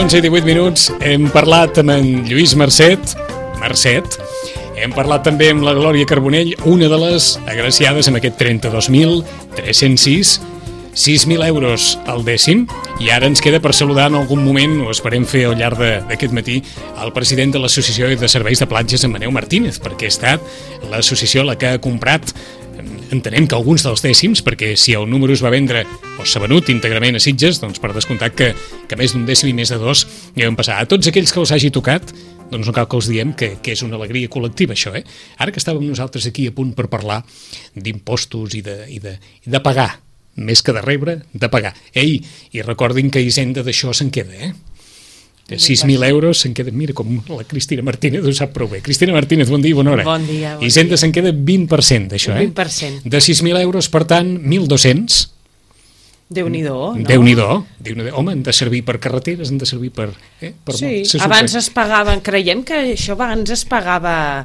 11 i 18 minuts, hem parlat amb en Lluís Marcet, hem parlat també amb la Glòria Carbonell, una de les agraciades amb aquest 32.306, 6.000 euros al dècim, i ara ens queda per saludar en algun moment, o esperem fer al llarg d'aquest matí, el president de l'Associació de Serveis de Platges, en Maneu Martínez, perquè ha estat l'associació la que ha comprat, entenem que alguns dels dècims, perquè si el número es va vendre o s'ha venut íntegrament a Sitges, doncs per descomptat que més d'un dècim i més de dos hi vam passar. A tots aquells que els hagi tocat, doncs no cal que els diem que és una alegria col·lectiva, això, eh? Ara que estàvem nosaltres aquí a punt per parlar d'impostos i de pagar, més que de rebre, de pagar. Ei, i recordin que Hisenda d'això se'n queda, eh? De 6.000 euros se'n queda, mira com la Cristina Martínez ho sap prou bé. Cristina Martínez, bon dia i bona hora. Bon dia. Hisenda se'n queda 20% d'això, eh? 20%. De 6.000 euros, per tant, 1.200. Déu-n'hi-do, no? Déu-n'hi-do. Home, han de servir per carreteres, han de servir per... Sí, abans es pagaven, creiem que això abans es pagava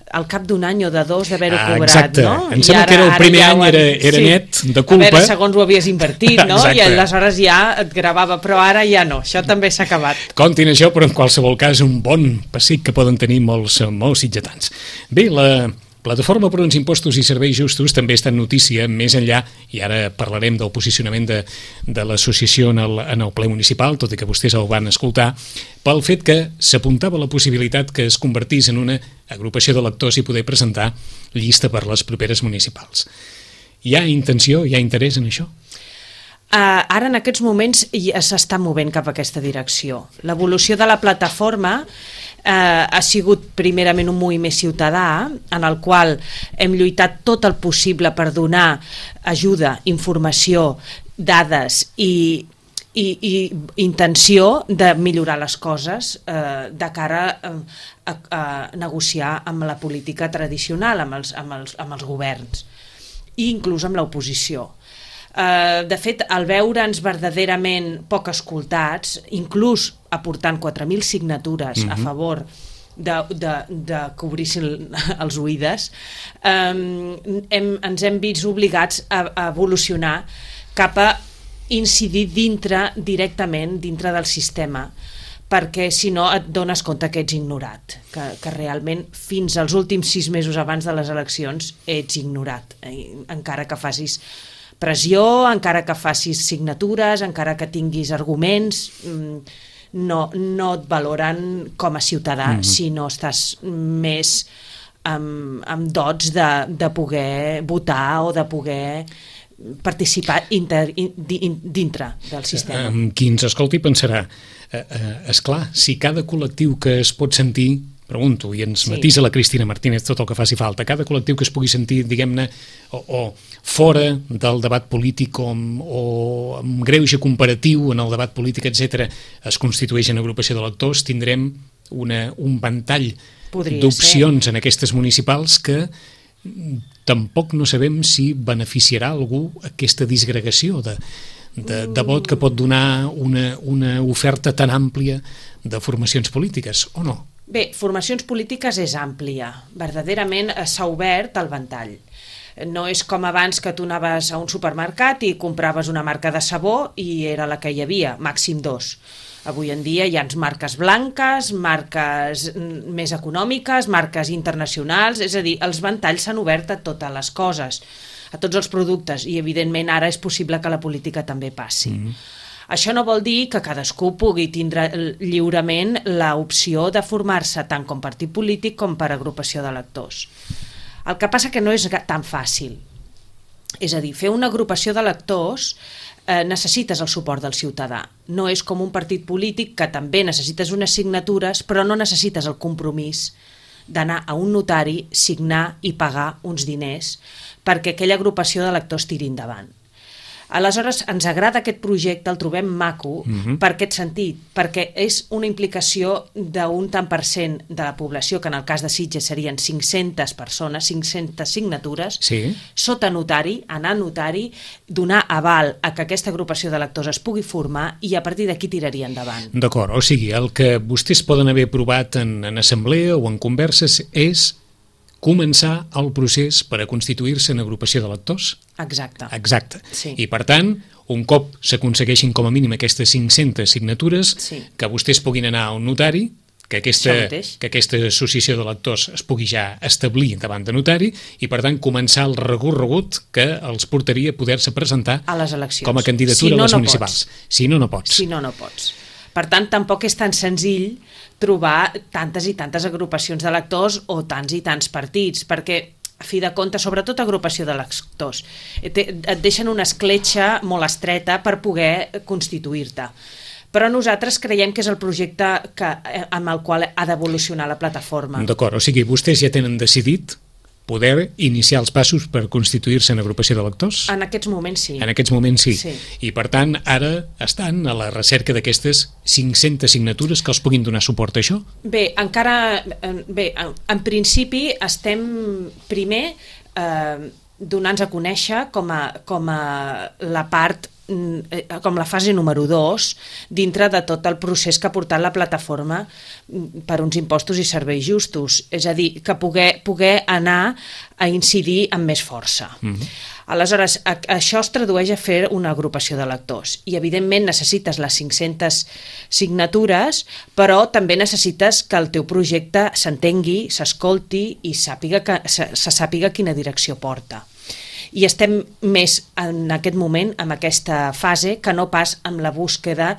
al cap d'un any o de dos d'haver-ho cobrat, exacte. No? Em sembla que el primer any era net de culpa. A veure, segons ho havies invertit, no? I aleshores ja et gravava, però ara ja no, això també s'ha acabat. Comptin això, però en qualsevol cas un bon pessic que poden tenir molts sitgetans. Bé, la Plataforma per uns impostos i serveis justos també està en notícia, més enllà, i ara parlarem del posicionament de l'associació en el ple municipal, tot i que vostès el van escoltar, pel fet que s'apuntava la possibilitat que es convertís en una agrupació d'electors i poder presentar llista per les properes municipals. Hi ha intenció, hi ha interès en això? Ara en aquests moments s'està movent cap a aquesta direcció. L'evolució de la plataforma ha sigut primerament un moviment ciutadà en el qual hem lluitat tot el possible per donar ajuda, informació, dades i intenció de millorar les coses de cara a negociar amb la política tradicional, amb els governs i inclús amb l'oposició. De fet, al veure'ns verdaderament poc escoltats, inclús aportant 4.000 signatures a favor de cobrir-se els oïdes, ens hem vist obligats a evolucionar cap a incidir directament dintre del sistema, perquè si no et dones compte que ets ignorat, que realment fins als últims 6 mesos abans de les eleccions ets ignorat, encara que facis pressió, encara que facis signatures, encara que tinguis arguments, no et valoren com a ciutadà si no estàs més amb dots de poder votar o de poder participar dintre del sistema. Qui ens escolti pensarà, esclar, si cada col·lectiu que es pot sentir, pregunto, i ens matisa la Cristina Martínez tot el que faci falta, cada col·lectiu que es pugui sentir, diguem-ne, o fora del debat polític o amb greuge comparatiu en el debat polític, etc., es constitueix en agrupació d'electors, tindrem un ventall d'opcions en aquestes municipals que tampoc no sabem si beneficiarà algú aquesta disgregació de vot que pot donar una oferta tan àmplia de formacions polítiques, o no? Bé, formacions polítiques és àmplia. Verdaderament s'ha obert el ventall. No és com abans que tu anaves a un supermercat i compraves una marca de sabó i era la que hi havia, màxim 2. Avui en dia hi ha marques blanques, marques més econòmiques, marques internacionals, és a dir, els ventalls s'han obert a totes les coses, a tots els productes, i evidentment ara és possible que la política també passi. Això no vol dir que cadascú pugui tindre lliurement l'opció de formar-se tant com partit polític com per agrupació d'electors. El que passa que no és tan fàcil. És a dir, fer una agrupació de lectors necessites el suport del ciutadà. No és com un partit polític que també necessites unes signatures, però no necessites el compromís d'anar a un notari, signar i pagar uns diners perquè aquella agrupació de lectors tiri endavant. Aleshores, ens agrada aquest projecte, el trobem maco per aquest sentit, perquè és una implicació d'un tant per cent de la població, que en el cas de Sitges serien 500 persones, 500 signatures, sota notari, anar a notari, donar aval a que aquesta agrupació de lectors es pugui formar i a partir d'aquí tiraria endavant. D'acord, o sigui, el que vostès poden haver aprovat en assemblea o en converses és començar el procés per a constituir-se en agrupació de lectors? Exacte. Exacte. Sí. I per tant, un cop s'aconsegueixin com a mínim aquestes 500 signatures, que vostès puguin anar a un notari, que aquesta associació de lectors es pugui ja establir davant de notari i per tant començar el recorregut que els portaria a poder-se presentar a les eleccions com a candidatura a les municipals. Si no, no pots. Si no, no pots. Per tant, tampoc és tan senzill trobar tantes i tantes agrupacions de lectors o tants i tants partits, perquè, a fi de compte, sobretot agrupació de lectors, et deixen una escletxa molt estreta per poder constituir-te. Però nosaltres creiem que és el projecte amb el qual ha d'evolucionar la plataforma. D'acord, o sigui, vostès ja tenen decidit poder iniciar els passos per constituir-se en agrupació de lectors? En aquests moments sí. En aquests moments sí. I per tant, ara estan a la recerca d'aquestes 500 signatures que els puguin donar suport a això? Bé, en principi estem primer donant-nos a conèixer com a la part, com la fase número 2 dintre de tot el procés que ha portat la plataforma per uns impostos i serveis justos, és a dir, que poder anar a incidir amb més força. Aleshores, això es tradueix a fer una agrupació de lectors i evidentment necessites les 500 signatures, però també necessites que el teu projecte s'entengui, s'escolti i se sàpiga quina direcció porta. I estem més en aquest moment amb aquesta fase que no pas amb la búsqueda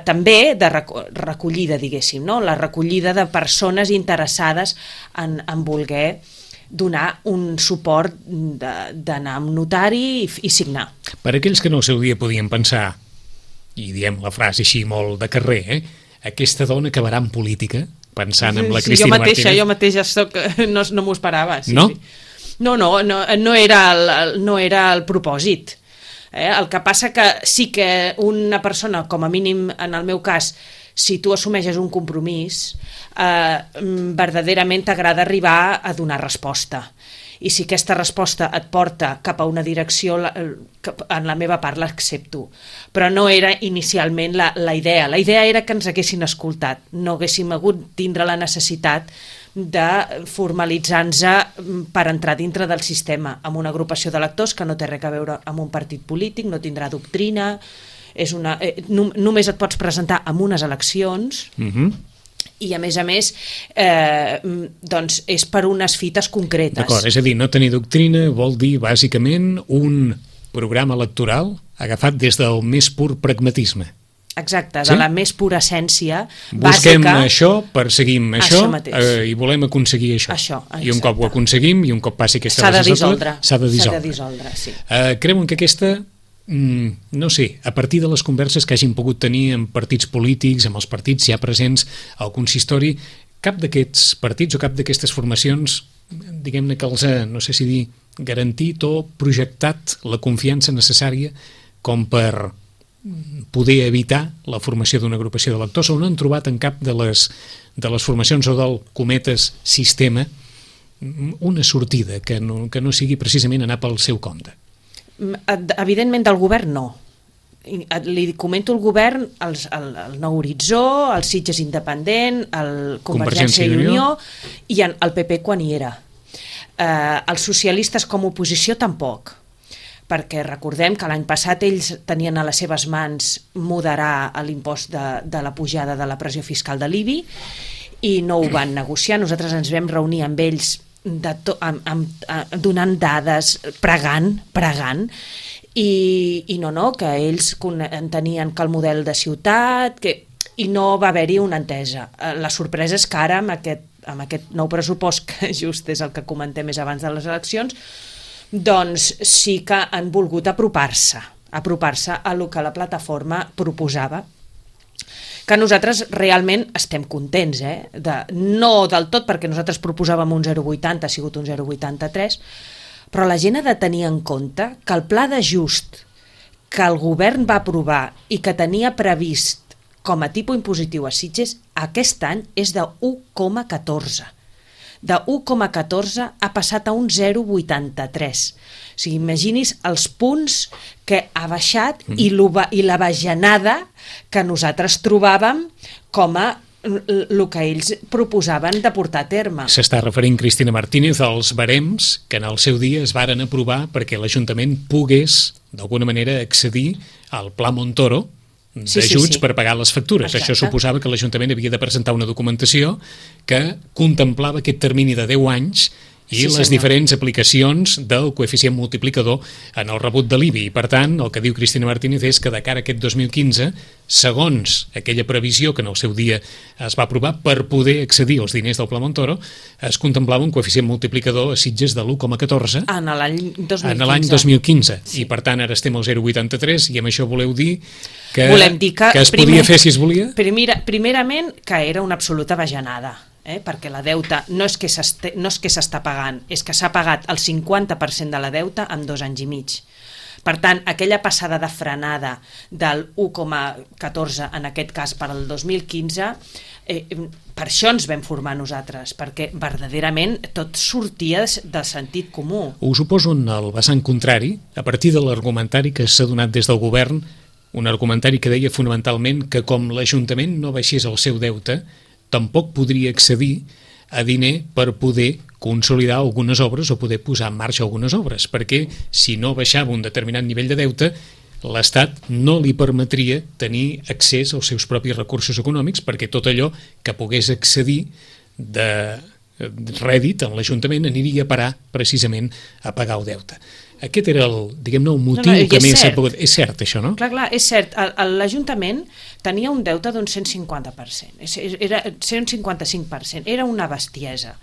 també de recollida, diguéssim, no? La recollida de persones interessades en voler donar un suport d'anar a un notari i signar. Per aquells que no al seu dia podien pensar, i diem la frase així molt de carrer, aquesta dona acabarà en política, pensant en la Cristina Martínez. Jo mateixa no m'ho esperava. No? No era el propòsit. El que passa que sí que una persona, com a mínim en el meu cas, si tu assumeixes un compromís, verdaderament t'agrada arribar a donar resposta. I si aquesta resposta et porta cap a una direcció, en la meva part l'accepto. Però no era inicialment la idea. La idea era que ens haguessin escoltat. No haguéssim hagut tindre la necessitat de formalitzar-nos per entrar dintre del sistema amb una agrupació de lectors que no té res a veure amb un partit polític, no tindrà doctrina, només et pots presentar en unes eleccions i a més doncs és per unes fites concretes. D'acord, és a dir, no tenir doctrina vol dir bàsicament un programa electoral agafat des del més pur pragmatisme. Exacte, de la més pura essència bàsica. Busquem això, perseguim això i volem aconseguir això. I un cop ho aconseguim i un cop passi aquesta legislatura s'ha de dissoldre. Creuen que aquesta, no sé, a partir de les converses que hagin pogut tenir amb partits polítics, amb els partits ja presents al consistori, cap d'aquests partits o cap d'aquestes formacions, diguem-ne que els ha, no sé si dir, garantit o projectat la confiança necessària com per poder evitar la formació d'una agrupació de lectors, o no han trobat en cap de les formacions o del cometes sistema una sortida que no sigui precisament anar pel seu compte? Evidentment del govern no. Li comento el govern, el Nou Horitzó, el Sitges Independent, el Convergència i Unió i el PP quan hi era. Els socialistes com a oposició tampoc, perquè recordem que l'any passat ells tenien a les seves mans moderar l'impost de la pujada de la pressió fiscal de l'IBI i no ho van negociar. Nosaltres ens vam reunir amb ells donant dades, pregant, i que ells entenien que el model de ciutat, i no va haver-hi una entesa. La sorpresa és que ara, amb aquest nou pressupost, que just és el que comentem més abans de les eleccions, doncs sí que han volgut apropar-se a lo que la plataforma proposava, que nosaltres realment estem contents, no del tot, perquè nosaltres proposàvem un 0,80, ha sigut un 0,83, però la gent ha de tenir en compte que el pla d'ajust que el govern va aprovar i que tenia previst com a tipus impositiu a Sitges aquest any és de 1,14. De 1,14 ha passat a un 0,83. O sigui, imagini's els punts que ha baixat i la bajanada que nosaltres trobàvem com a el que ells proposaven de portar a terme. S'està referint Cristina Martínez als barems que en el seu dia es varen aprovar perquè l'Ajuntament pogués, d'alguna manera, accedir al Pla Montoro d'ajuts per pagar les factures. Exacte. Això suposava que l'Ajuntament havia de presentar una documentació que contemplava aquest termini de 10 anys i les diferents aplicacions del coeficient multiplicador en el rebut de l'IBI. I, per tant, el que diu Cristina Martínez és que de cara a aquest 2015, segons aquella previsió que en el seu dia es va aprovar per poder accedir als diners del Pla Montoro, es contemplava un coeficient multiplicador a Sitges de l'1,14 en l'any 2015. En l'any 2015. Sí. I, per tant, ara estem al 0,83 i amb això voleu dir que es podia fer si es volia? Primerament, que era una absoluta bajanada. Perquè la deuta no és que s'està pagant, és que s'ha pagat el 50% de la deuta en 2 anys i mig. Per tant, aquella passada de frenada del 1,14 en aquest cas per al 2015, per això ens vam formar nosaltres, perquè verdaderament tot sortia del sentit comú. Us ho poso en el vessant contrari, a partir de l'argumentari que s'ha donat des del govern, un argumentari que deia fonamentalment que com l'Ajuntament no baixés el seu deute, tampoc podria accedir a diner per poder consolidar algunes obres o poder posar en marxa algunes obres, perquè si no baixava un determinat nivell de deute, l'Estat no li permetria tenir accés als seus propis recursos econòmics, perquè tot allò que pogués accedir de rèdit en l'Ajuntament aniria a parar precisament a pagar el deute. Aquest era el, diguem-ne, el motiu que més s'ha pogut... És cert, això, no? Clar, és cert. L'Ajuntament tenia un deute d'un 150%, era 155%, era una bestiesa.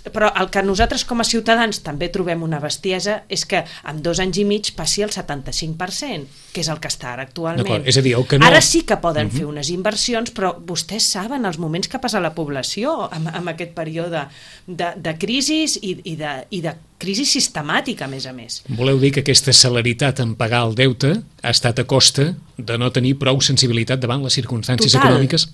Però el que nosaltres com a ciutadans també trobem una bestiesa és que en 2 anys i mig passi el 75%, que és el que està ara actualment. És a dir, el que no... Ara sí que poden fer unes inversions, però vostès saben els moments que passa la població amb aquest període de crisi i de crisi sistemàtica, a més. Voleu dir que aquesta celeritat en pagar el deute ha estat a costa de no tenir prou sensibilitat davant les circumstàncies econòmiques?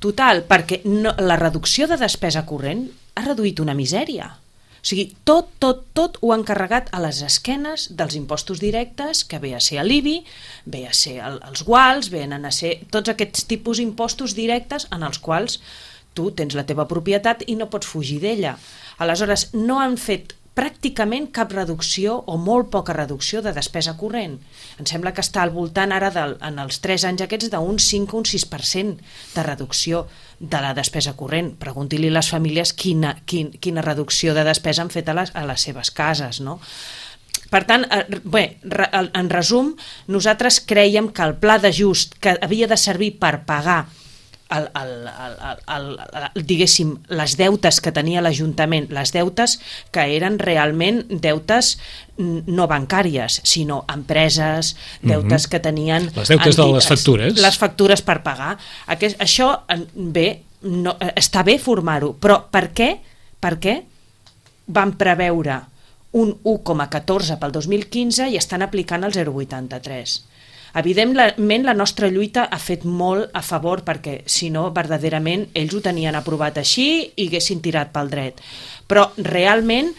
Total, perquè la reducció de despesa corrent ha reduït una misèria. O sigui, tot ho han carregat a les esquenes dels impostos directes, que ve a ser l'IBI, ve a ser els guals, venen a ser tots aquests tipus d'impostos directes en els quals tu tens la teva propietat i no pots fugir d'ella. Aleshores, no han fet pràcticament cap reducció o molt poca reducció de despesa corrent. Em sembla que està al voltant ara, en els 3 anys aquests, d'un 5 o un 6% de reducció de la despesa corrent. Pregunti-li a les famílies quina reducció de despesa han fet a les seves cases, no? Per tant, en resum, nosaltres crèiem que el pla d'ajust que havia de servir per pagar diguéssim, les deutes que tenia l'Ajuntament, les deutes que eren realment deutes no bancàries, sinó empreses, deutes que tenien... Les deutes de les factures. Les factures per pagar. Això, està bé formar-ho, però per què van preveure un 1,14 pel 2015 i estan aplicant el 0,83? Evidentment, la nostra lluita ha fet molt a favor, perquè si no, verdaderament, ells ho tenien aprovat així i haguessin tirat pel dret. Però realment,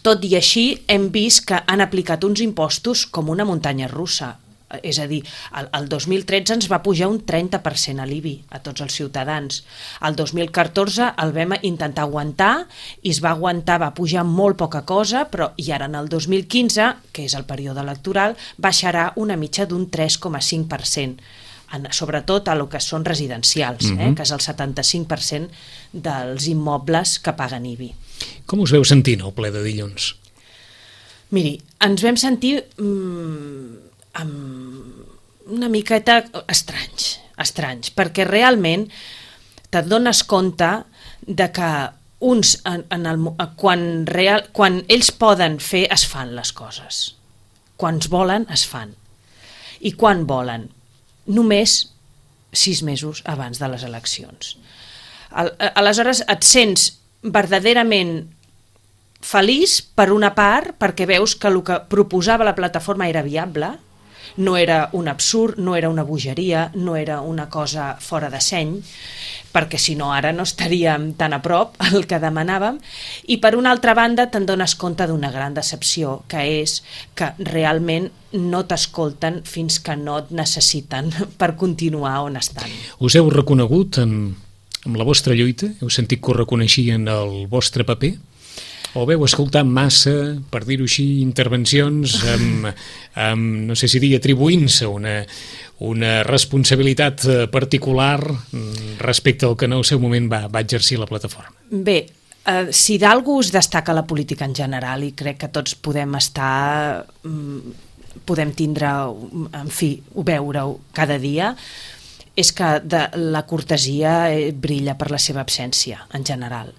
tot i així, hem vist que han aplicat uns impostos com una muntanya russa. És a dir, el 2013 ens va pujar un 30% a l'IBI a tots els ciutadans. El 2014 el vam intentar aguantar i es va aguantar, va pujar molt poca cosa, però i ara en el 2015, que és el període electoral, baixarà una mitja d'un 3,5%, sobretot a lo que són residencials, que és el 75% dels immobles que paguen IBI. Com us veu sentint el ple de dilluns? Miri, ens vam sentir... amb una miqueta estranys, perquè realment te'n dones compte de que quan ells poden fer, es fan les coses. Quan es volen, es fan. I quan volen? Només 6 mesos abans de les eleccions. Aleshores et sents verdaderament feliç per una part, perquè veus que el que proposava la plataforma era viable, no era un absurd, no era una bogeria, no era una cosa fora de seny, perquè si no ara no estaríem tan a prop al que demanàvem, i per una altra banda te'n dones compte d'una gran decepció, que és que realment no t'escolten fins que no et necessiten per continuar on estan. Us heu reconegut amb la vostra lluita? Heu sentit que us reconeixien el vostre paper? O veu escoltar massa, per dir-ho així, intervencions amb no sé si dir, atribuint-se una responsabilitat particular respecte al que en el seu moment va exercir la plataforma? Bé, si d'algú us destaca la política en general, i crec que tots podem tindre, en fi, veure-ho cada dia, és que la cortesia brilla per la seva absència, en general.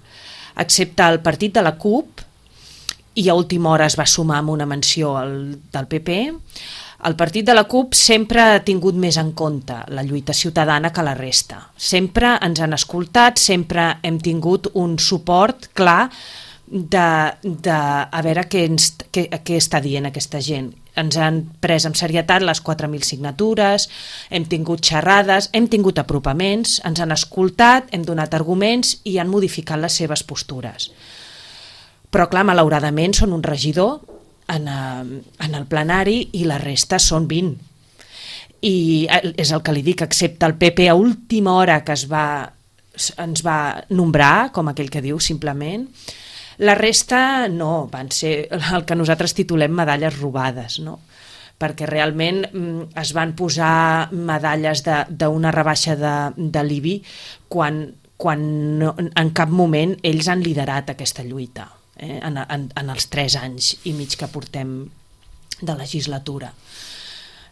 Excepte el partit de la CUP, i a última hora es va sumar amb una menció del PP, el partit de la CUP sempre ha tingut més en compte la lluita ciutadana que la resta. Sempre ens han escoltat, sempre hem tingut un suport clar de a veure què està dient aquesta gent. Ens han pres amb serietat les 4.000 signatures, hem tingut xerrades, hem tingut apropaments, ens han escoltat, hem donat arguments i han modificat les seves postures. Però clar, malauradament són un regidor en el plenari i la resta són 20. I és el que li dic, excepte el PP a última hora que ens va nombrar, com aquell que diu, simplement. La resta no, van ser el que nosaltres titulem medalles robades, no? Perquè realment es van posar medalles d'una rebaixa de l'IBI quan en cap moment ells han liderat aquesta lluita, en els 3 anys i mig que portem de legislatura.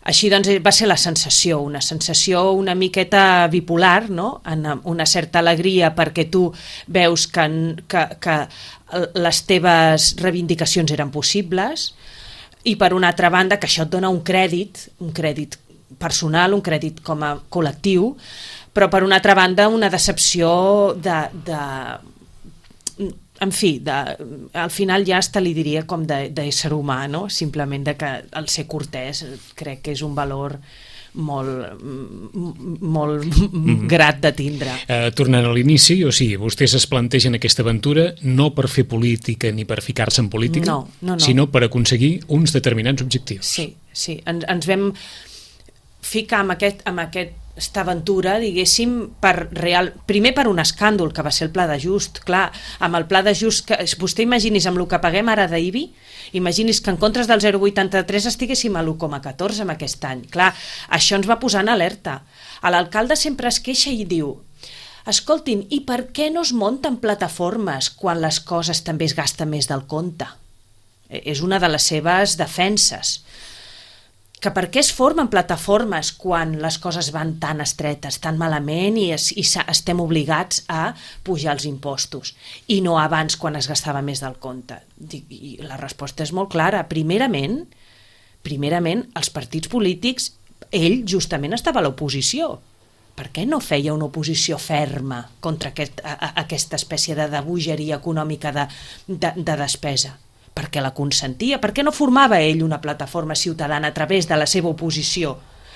Així doncs va ser la sensació, una sensació una miqueta bipolar, no? Una certa alegria perquè tu veus que les teves reivindicacions eren possibles, i per una altra banda que això et dona un crèdit personal, un crèdit com a col·lectiu, però per una altra banda una decepció en fi, al final ja hasta li diria com d'ésser humà, no? Simplement que el ser cortès crec que és un valor molt grat de tindre. Tornant a l'inici, o sigui, vostès es plantegen aquesta aventura no per fer política ni per ficar-se en política, no. sinó per aconseguir uns determinats objectius. Sí. Ens vam ficar amb aquesta aventura, diguéssim, primer per un escàndol, que va ser el pla d'ajust. Clar, amb el pla d'ajust, vostè imagini's amb el que paguem ara d'IBI, imagini's que en comptes del 0,83 estiguéssim a l'1,14 amb aquest any. Clar, això ens va posar en alerta. L'alcalde sempre es queixa i diu: escoltin, i per què no es munten plataformes quan les coses també es gasten més del compte? És una de les seves defenses. Que per què es formen plataformes quan les coses van tan estretes, tan malament i estem obligats a pujar els impostos i no abans quan es gastava més del compte? I la resposta és molt clara. Primerament, els partits polítics, ell justament estava a l'oposició. Per què no feia una oposició ferma contra aquesta espècie de bogeria econòmica de despesa? Per què la consentia? Per què no formava ell una plataforma ciutadana a través de la seva oposició,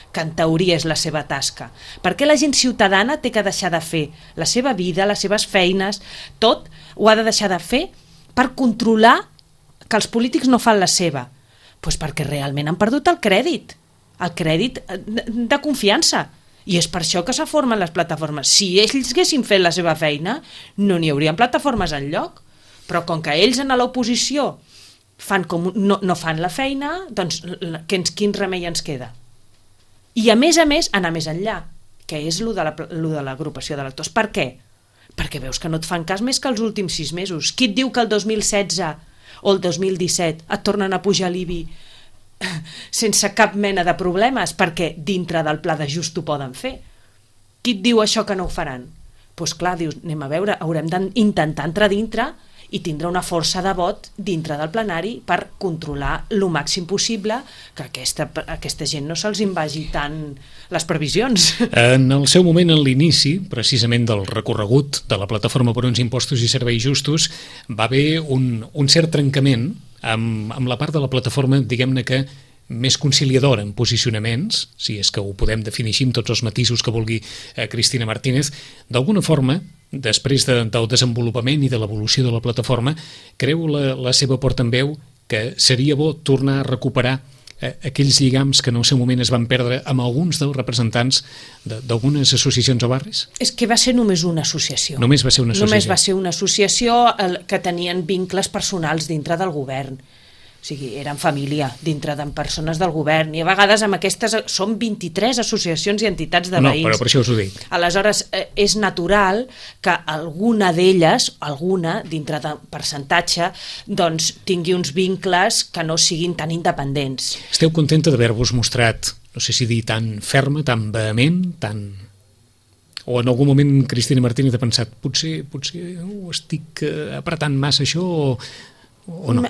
que en teoria és la seva tasca? Per què la gent ciutadana té que deixar de fer la seva vida, les seves feines, tot ho ha de deixar de fer per controlar que els polítics no fan la seva? Doncs perquè realment han perdut el crèdit de confiança. I és per això que se formen les plataformes. Si ells haguessin fet la seva feina, no n'hi haurien plataformes enlloc. Però com que ells en l'oposició no fan la feina, doncs quin remei ens queda? I a més, anar més enllà, que és lo de l'agrupació d'electors. Per què? Perquè veus que no et fan cas més que els últims 6 mesos. Qui et diu que el 2016 o el 2017 et tornen a pujar l'IBI sense cap mena de problemes, perquè dintre del pla d'ajust ho poden fer? Qui et diu això que no ho faran? doncs clar, dius, anem a veure, haurem d'intentar entrar dintre i tindre una força de vot dintre del plenari per controlar el màxim possible que aquesta gent no se'ls invagi tant les previsions. En el seu moment, en l'inici, precisament del recorregut de la Plataforma per uns impostos i serveis justos, va haver un cert trencament amb la part de la plataforma, diguem-ne que més conciliadora en posicionaments, si és que ho podem definir així amb tots els matisos que vulgui Cristina Martínez. D'alguna forma, després del desenvolupament i de l'evolució de la plataforma, creu la seva portaveu que seria bo tornar a recuperar aquells lligams que en el seu moment es van perdre amb alguns dels representants d'algunes associacions o barris? És que va ser només una associació. Només va ser una associació. Només va ser una associació que tenien vincles personals dintre del govern. O sigui, eren família dintre de persones del govern, i a vegades amb aquestes són 23 associacions i entitats de veïns. No, però per això us ho dic. Aleshores, és natural que alguna d'elles, dintre de percentatge, doncs tingui uns vincles que no siguin tan independents. Esteu contenta d'haver-vos mostrat, no sé si dir, tan ferma, tan vehement, tan... O en algun moment Cristina Martínez ha pensat potser ho estic apretant massa això o no?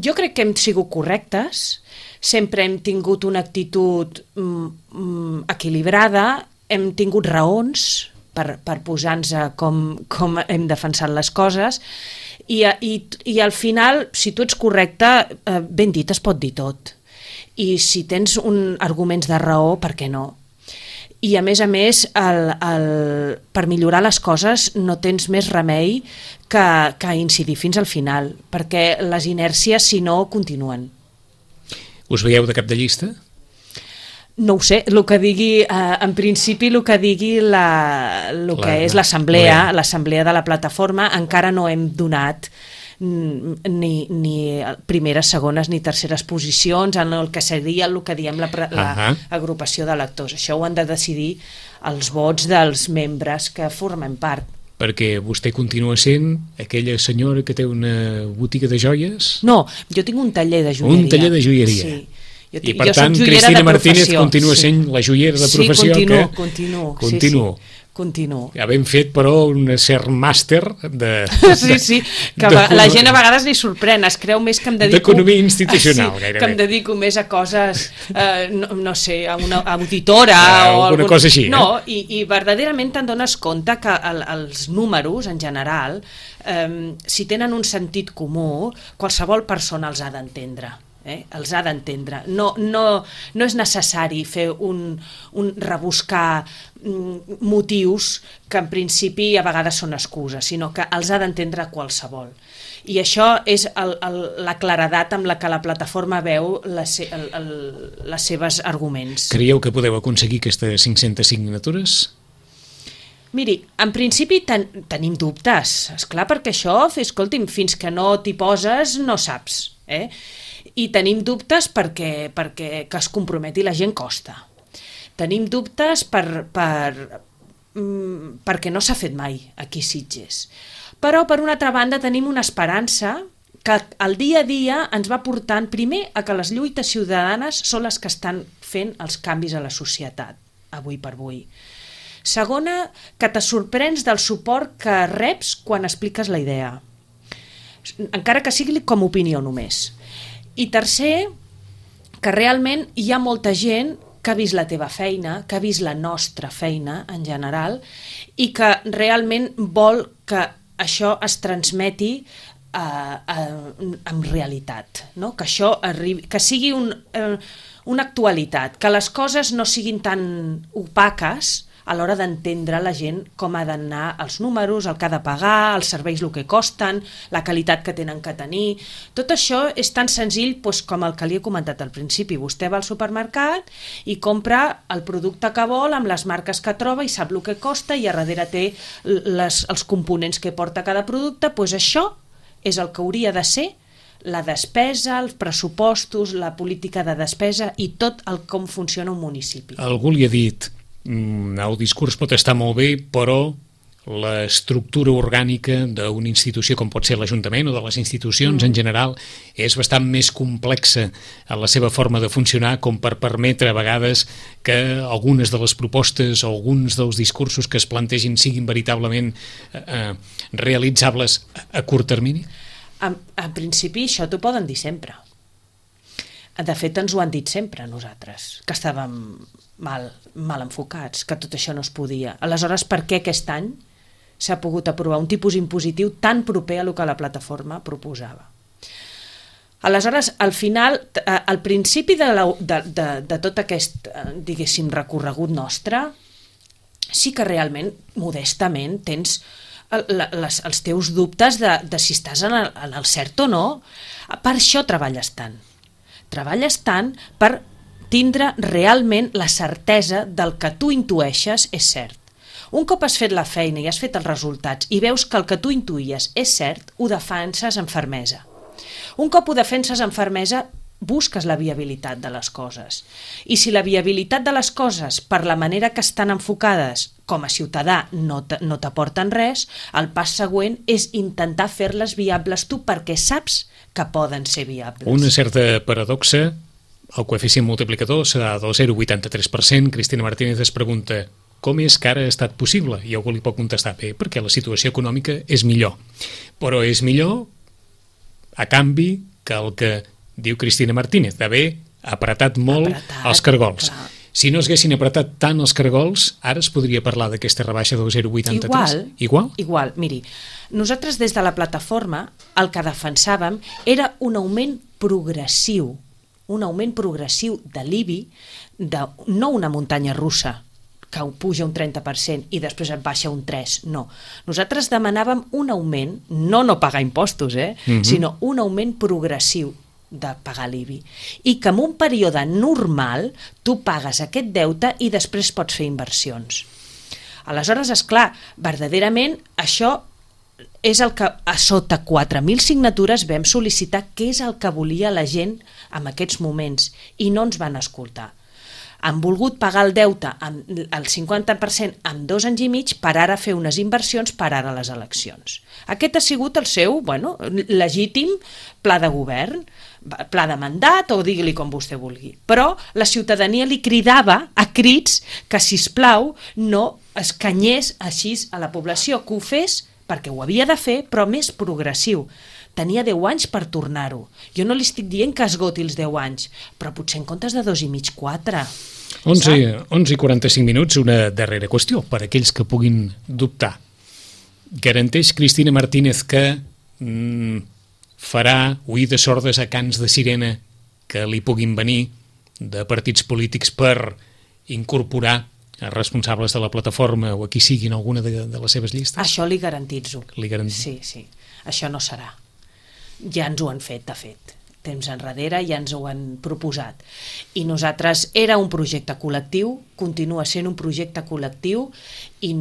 Jo crec que hem sigut correctes, sempre hem tingut una actitud equilibrada, hem tingut raons per posar-nos com hem defensat les coses i al final, si tu ets correcte, ben dit es pot dir tot. I si tens arguments de raó, per què no? I a més, per millorar les coses no tens més remei que incidir fins al final, perquè les inèrcies, si no, continuen. Us veieu de cap de llista? No ho sé, el que digui, en principi el que digui que és l'assemblea de la plataforma, encara no hem donat ni primeres, segones ni terceres posicions en el que seria el que diem l'agrupació d'electors. Això ho han de decidir els vots dels membres que formen part. Perquè vostè continua sent aquella senyora que té una botiga de joies? No, jo tinc un taller de joieria. Un taller de joieria. Sí. I per tant, Cristina Martínez continua sent la joiera de professió. Sí, continuo. Ja ben fet, però, un cert màster de... Sí, que la gent a vegades li sorprèn, es creu més que em dedico... D'economia institucional, gairebé. Que em dedico més a coses, no sé, a una auditora o alguna cosa així. No, i verdaderament te'n dones compte que els números, en general, si tenen un sentit comú, qualsevol persona els ha d'entendre. Els ha d'entendre. No és necessari fer rebuscar motius que en principi a vegades són excuses, sinó que els ha d'entendre qualsevol. I això és la claredat amb la que la plataforma veu les seves arguments. Creieu que podeu aconseguir aquestes 500 signatures? Miri, en principi tenim dubtes, esclar, perquè això, escolti'm, fins que no t'hi poses no saps, I tenim dubtes perquè que es comprometi la gent costa. Tenim dubtes perquè no s'ha fet mai aquí a Sitges. Però, per una altra banda, tenim una esperança que el dia a dia ens va portant, primer, a que les lluites ciutadanes són les que estan fent els canvis a la societat, avui per avui. Segona, que te sorprens del suport que reps quan expliques la idea, encara que sigui com a opinió només. I tercer, que realment hi ha molta gent que ha vist la teva feina, que ha vist la nostra feina en general i que realment vol que això es transmeti amb realitat, no? Que això arribi, que sigui una actualitat, que les coses no siguin tan opaques a l'hora d'entendre la gent com ha d'anar els números, el que ha de pagar, els serveis el que costen, la qualitat que tenen que tenir. Tot això és tan senzill com el que li he comentat al principi. Vostè va al supermercat i compra el producte que vol amb les marques que troba i sap el que costa i a darrere té els components que porta cada producte. Doncs això és el que hauria de ser la despesa, els pressupostos, la política de despesa i tot el com funciona un municipi. Algú li ha dit el discurs pot estar molt bé, però l'estructura orgànica d'una institució com pot ser l'Ajuntament o de les institucions en general és bastant més complexa en la seva forma de funcionar com per permetre a vegades que algunes de les propostes o alguns dels discursos que es plantegin siguin veritablement realitzables a curt termini? En principi això t'ho poden dir sempre. De fet, ens ho han dit sempre a nosaltres, que estàvem mal enfocats, que tot això no es podia. Aleshores, per què aquest any s'ha pogut aprovar un tipus impositiu tan proper a lo que la plataforma proposava? Aleshores, al final, al principi de tot aquest, diguéssim, recorregut nostre, sí que realment, modestament, tens els teus dubtes de si estàs en el cert o no. Per això treballes tant. Treballes tant per tindre realment la certesa del que tu intueixes és cert. Un cop has fet la feina i has fet els resultats i veus que el que tu intuïes és cert, ho defenses amb fermesa. Un cop ho defenses amb fermesa, busques la viabilitat de les coses. I si la viabilitat de les coses, per la manera que estan enfocades com a ciutadà, no t'aporten res, el pas següent és intentar fer-les viables tu perquè saps que poden ser viables. Una certa paradoxa, el coeficient multiplicador serà del 0,83%. Cristina Martínez es pregunta com és que ara ha estat possible? I algú li pot contestar, bé, perquè la situació econòmica és millor. Però és millor a canvi que el que diu Cristina Martínez, d'haver apretat molt els cargols. Clar. Si no es haguessin apretat tant els cargols, ara es podria parlar d'aquesta rebaixa del 0,83? Igual? Igual. Miri, nosaltres des de la plataforma el que defensàvem era un augment progressiu de l'IBI, no una muntanya russa, que puja un 30% i després et baixa un 3%, no. Nosaltres demanàvem un augment, no pagar impostos, sinó un augment progressiu de pagar l'IBI. I que en un període normal tu pagues aquest deute i després pots fer inversions. Aleshores, esclar, verdaderament això és el que a sota 4.000 signatures vam sol·licitar què és el que volia la gent en aquests moments i no ens van escoltar. Han volgut pagar el deute al 50% en 2 anys i mig per ara fer unes inversions per ara les eleccions. Aquest ha sigut el seu legítim pla de govern, pla de mandat o digui-li com vostè vulgui. Però la ciutadania li cridava a crits que, sisplau, no escanyés així a la població, que ho fes perquè ho havia de fer, però més progressiu. Tenia 10 anys per tornar-ho. Jo no li estic dient que esgoti els 10 anys, però potser en comptes de 2 i mig, 4. 11:45, una darrera qüestió per a aquells que puguin dubtar. Garanteix Cristina Martínez que farà oïdes sordes a cants de sirena que li puguin venir de partits polítics per incorporar responsables de la plataforma o a qui siguin alguna de les seves llistes? Això li garantitzo. Sí. Això no serà. Ja ens ho han fet, de fet. Temps enrere ja ens ho han proposat. I nosaltres era un projecte col·lectiu, continua sent un projecte col·lectiu i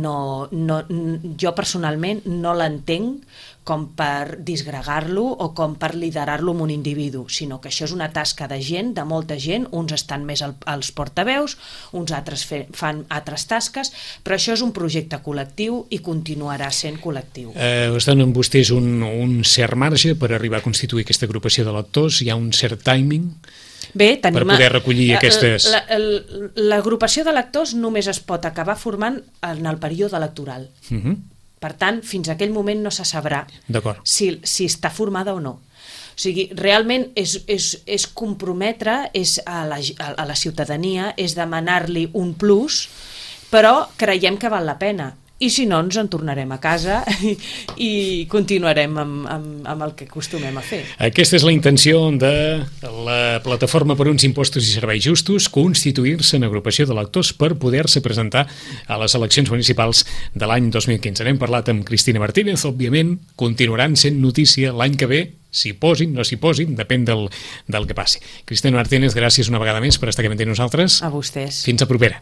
jo personalment no l'entenc com per disgregar-lo o com per liderar-lo amb un individu, sinó que això és una tasca de gent, de molta gent, uns estan més als portaveus, uns altres fan altres tasques, però això és un projecte col·lectiu i continuarà sent col·lectiu. Es donen vostès un cert marge per arribar a constituir aquesta agrupació de lectors? Hi ha un cert timing per poder recollir aquestes... L'agrupació de lectors només es pot acabar formant en el període electoral. Per tant, fins a aquell moment no se sabrà si està formada o no. O sigui, realment és comprometre a la ciutadania, és demanar-li un plus, però creiem que val la pena. I si no, ens en tornarem a casa i continuarem amb el que acostumem a fer. Aquesta és la intenció de la Plataforma per uns Impostos i Serveis Justos, constituir-se en agrupació de lectors per poder-se presentar a les eleccions municipals de l'any 2015. N'hem parlat amb Cristina Martínez, òbviament, continuaran sent notícia l'any que ve, s'hi posin, no s'hi posin, depèn del que passi. Cristina Martínez, gràcies una vegada més per estar aquí amb nosaltres. A vostès. Fins a propera.